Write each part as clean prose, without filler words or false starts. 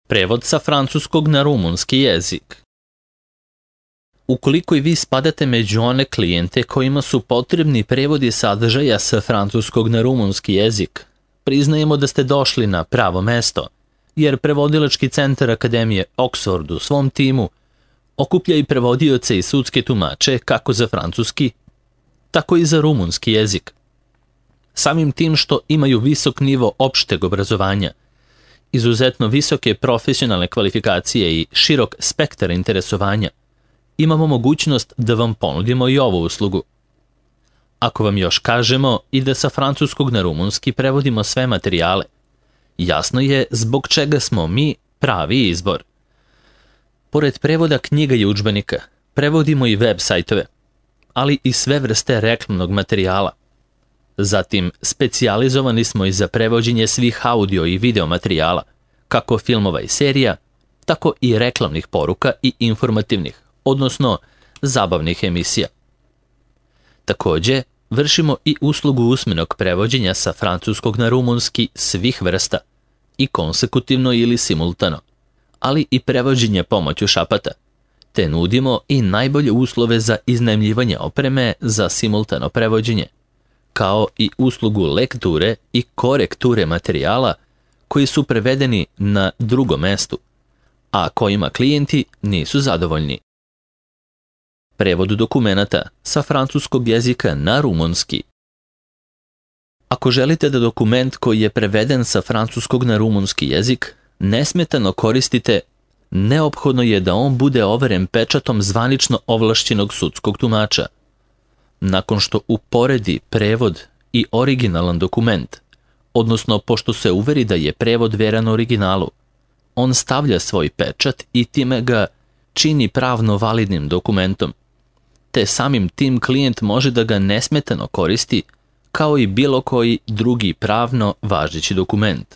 Prevod sa francuskog na rumunski jezik. Ukoliko i vi spadate među one klijente kojima su potrebni prevodi sadržaja sa francuskog na rumunski jezik, priznajemo da ste došli na pravo mesto, jer Prevodilački centar Akademije Oxford u svom timu okuplja i prevodioce i sudske tumače kako za francuski, tako i za rumunski jezik. Samim tim što imaju visok nivo opšteg obrazovanja, izuzetno visoke profesionalne kvalifikacije i širok spektar interesovanja, imamo mogućnost da vam ponudimo i ovu uslugu. Ako vam još kažemo i da sa francuskog na rumunski prevodimo sve materijale, jasno je zbog čega smo mi pravi izbor. Pored prevoda knjiga i udžbenika, prevodimo i web sajtove, ali i sve vrste reklamnog materijala. Zatim, specijalizovani smo i za prevođenje svih audio i video materijala, kako filmova i serija, tako i reklamnih poruka i informativnih, odnosno zabavnih emisija. Takođe, vršimo i uslugu usmenog prevođenja sa francuskog na rumunski svih vrsta, i konsekutivno ili simultano, ali i prevođenje pomoću šapata, te nudimo i najbolje uslove za iznajmljivanje opreme za simultano prevođenje, kao i uslugu lekture i korekture materijala koji su prevedeni na drugom mestu, a kojima klijenti nisu zadovoljni. Prevod dokumenata sa francuskog jezika na rumunski. Ako želite da dokument koji je preveden sa francuskog na rumunski jezik nesmetano koristite, neophodno je da on bude overen pečatom zvanično ovlašćenog sudskog tumača. Nakon što uporedi prevod i originalan dokument, odnosno pošto se uveri da je prevod veran originalu, on stavlja svoj pečat i time ga čini pravno validnim dokumentom, te samim tim klijent može da ga nesmetano koristi kao i bilo koji drugi pravno važeći dokument.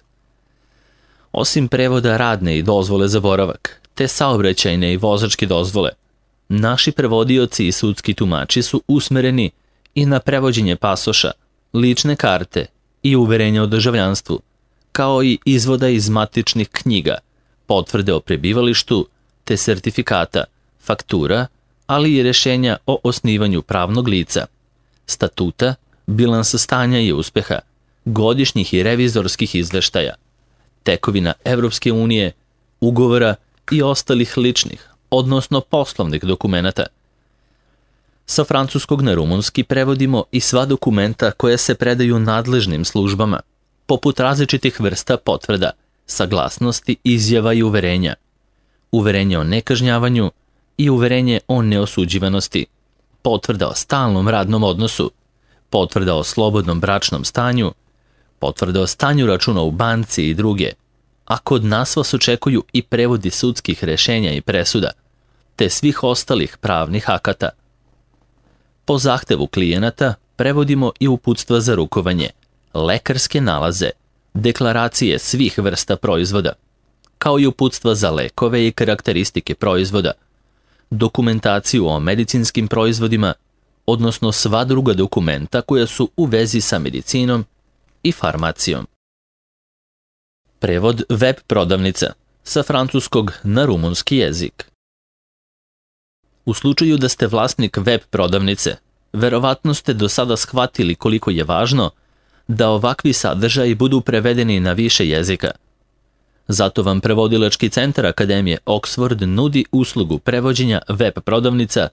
Osim prevoda radne i dozvole za boravak, te saobraćajne i vozačke dozvole, naši prevodioci i sudski tumači su usmereni i na prevođenje pasoša, lične karte i uverenja o državljanstvu, kao i izvoda iz matičnih knjiga, potvrde o prebivalištu, te sertifikata, faktura, ali i rešenja o osnivanju pravnog lica, statuta, bilansa stanja i uspeha, godišnjih i revizorskih izveštaja, tekovina Evropske unije, ugovora i ostalih ličnih, odnosno poslovnih dokumenata. Sa francuskog na rumunski prevodimo i sva dokumenta koja se predaju nadležnim službama, poput različitih vrsta potvrda, saglasnosti, izjava i uverenja, uverenje o nekažnjavanju i uverenje o neosuđivanosti, potvrda o stalnom radnom odnosu, potvrda o slobodnom bračnom stanju, potvrda o stanju računa u banci i druge, a kod nas vas očekuju i prevodi sudskih rešenja i presuda, te svih ostalih pravnih akata. Po zahtevu klijenata prevodimo i uputstva za rukovanje, lekarske nalaze, deklaracije svih vrsta proizvoda, kao i uputstva za lekove i karakteristike proizvoda, dokumentaciju o medicinskim proizvodima, odnosno sva druga dokumenta koja su u vezi sa medicinom i farmacijom. Prevod web prodavnica sa francuskog na rumunski jezik. U slučaju da ste vlasnik web prodavnice, verovatno ste do sada shvatili koliko je važno da ovakvi sadržaji budu prevedeni na više jezika. Zato vam Prevodilački centar Akademije Oxford nudi uslugu prevođenja web prodavnica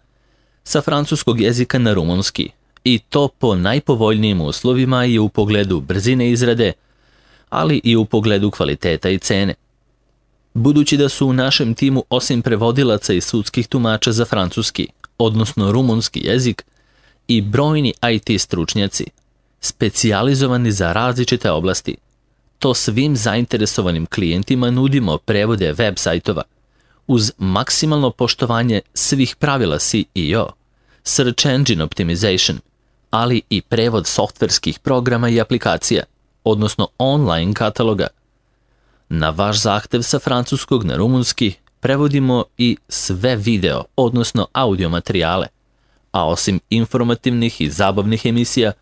sa francuskog jezika na rumunski, i to po najpovoljnijim uslovima i u pogledu brzine izrade, ali i u pogledu kvaliteta i cene. Budući da su u našem timu osim prevodilaca i sudskih tumača za francuski, odnosno rumunski jezik, i brojni IT stručnjaci, specijalizovani za različite oblasti, to svim zainteresovanim klijentima nudimo prevode web sajtova, uz maksimalno poštovanje svih pravila SEO, Search Engine Optimization, ali i prevod softverskih programa i aplikacija, odnosno online kataloga. Na vaš zahtev sa francuskog na rumunski prevodimo i sve video, odnosno audio materijale, a osim informativnih i zabavnih emisija,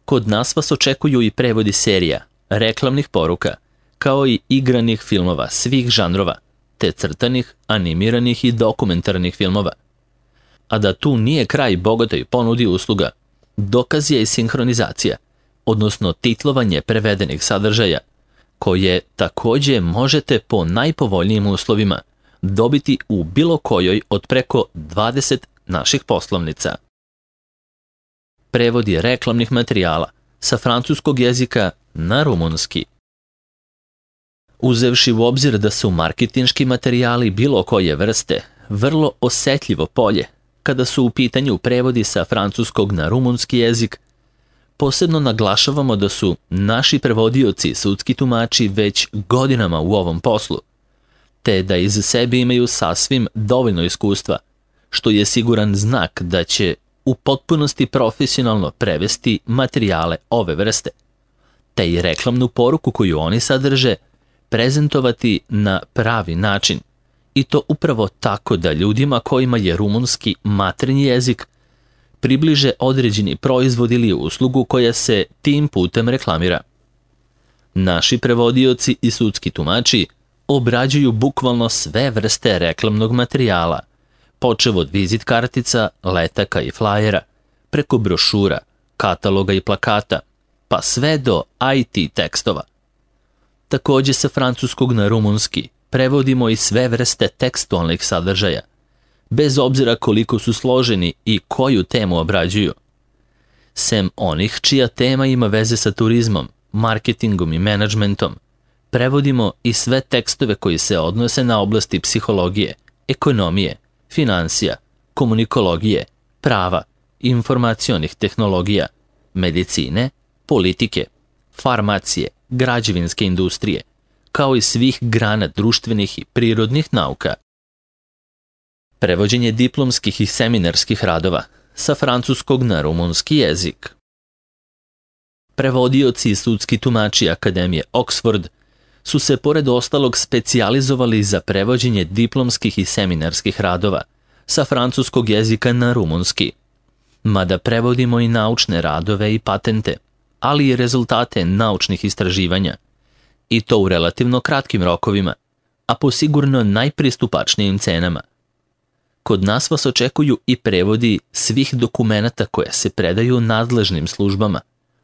kod nas vas očekuju i prevodi serija, reklamnih poruka, kao i igranih filmova svih žanrova, te crtanih, animiranih i dokumentarnih filmova. A da tu nije kraj bogatoj ponudi usluga, dokaz je i sinhronizacija, odnosno titlovanje prevedenih sadržaja, koje takođe možete po najpovoljnijim uslovima dobiti u bilo kojoj od preko 20 naših poslovnica. Prevodi reklamnih materijala sa francuskog jezika na rumunski. Uzevši u obzir da su marketinški materijali bilo koje vrste vrlo osetljivo polje kada su u pitanju prevodi sa francuskog na rumunski jezik, posebno naglašavamo da su naši prevodioci i sudski tumači već godinama u ovom poslu, te da iz sebe imaju sasvim dovoljno iskustva, što je siguran znak da će u potpunosti profesionalno prevesti materijale ove vrste, te i reklamnu poruku koju oni sadrže prezentovati na pravi način, i to upravo tako da ljudima kojima je rumunski maternji jezik približe određeni proizvod ili uslugu koja se tim putem reklamira. Naši prevodioci i sudski tumači obrađuju bukvalno sve vrste reklamnog materijala, počev od vizit kartica, letaka i flajera, preko brošura, kataloga i plakata, pa sve do IT tekstova. Takođe sa francuskog na rumunski prevodimo i sve vrste tekstualnih sadržaja, bez obzira koliko su složeni i koju temu obrađuju. Sem onih čija tema ima veze sa turizmom, marketingom i menadžmentom, prevodimo i sve tekstove koji se odnose na oblasti psihologije, ekonomije, finansija, komunikologije, prava, informacionih tehnologija, medicine, politike, farmacije, građevinske industrije, kao i svih grana društvenih i prirodnih nauka. Prevođenje diplomskih i seminarskih radova sa francuskog na rumunski jezik. Prevodioci i sudski tumači Akademije Oxford su se pored ostalog specijalizovali za prevođenje diplomskih i seminarskih radova sa francuskog jezika na rumunski, mada prevodimo i naučne radove i patente, ali i rezultate naučnih istraživanja, i to u relativno kratkim rokovima, a po sigurno najpristupačnijim cenama. Kod nas vas očekuju i prevodi svih dokumenata koje se predaju nadležnim službama,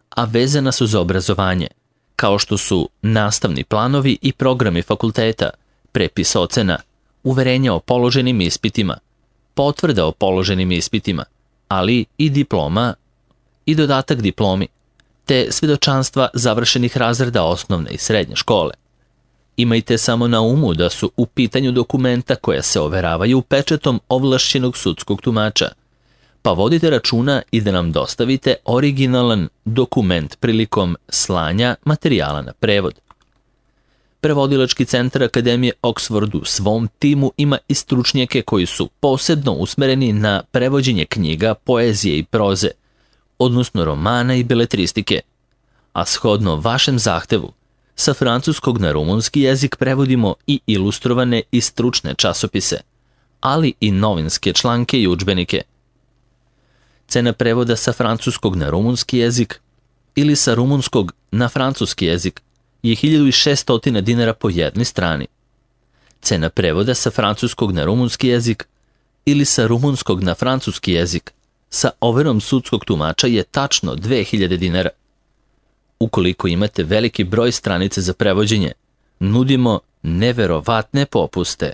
a vezana su za obrazovanje, kao što su nastavni planovi i programi fakulteta, prepis ocena, uverenja o položenim ispitima, potvrda o položenim ispitima, ali i diploma i dodatak diplomi, te svedočanstva završenih razreda osnovne i srednje škole. Imajte samo na umu da su u pitanju dokumenta koja se overavaju pečatom ovlašćenog sudskog tumača, pa vodite računa i da nam dostavite originalan dokument prilikom slanja materijala na prevod. Prevodilački centar Akademije Oxford u svom timu ima i stručnjake koji su posebno usmereni na prevođenje knjiga, poezije i proze, odnosno romana i beletristike, a shodno vašem zahtevu, sa francuskog na rumunski jezik prevodimo i ilustrovane i stručne časopise, ali i novinske članke i udžbenike. Cena prevoda sa francuskog na rumunski jezik ili sa rumunskog na francuski jezik je 1600 dinara po jednoj strani. Cena prevoda sa francuskog na rumunski jezik ili sa rumunskog na francuski jezik sa overom sudskog tumača je tačno 2000 dinara. Ukoliko imate veliki broj stranica za prevođenje, nudimo neverovatne popuste.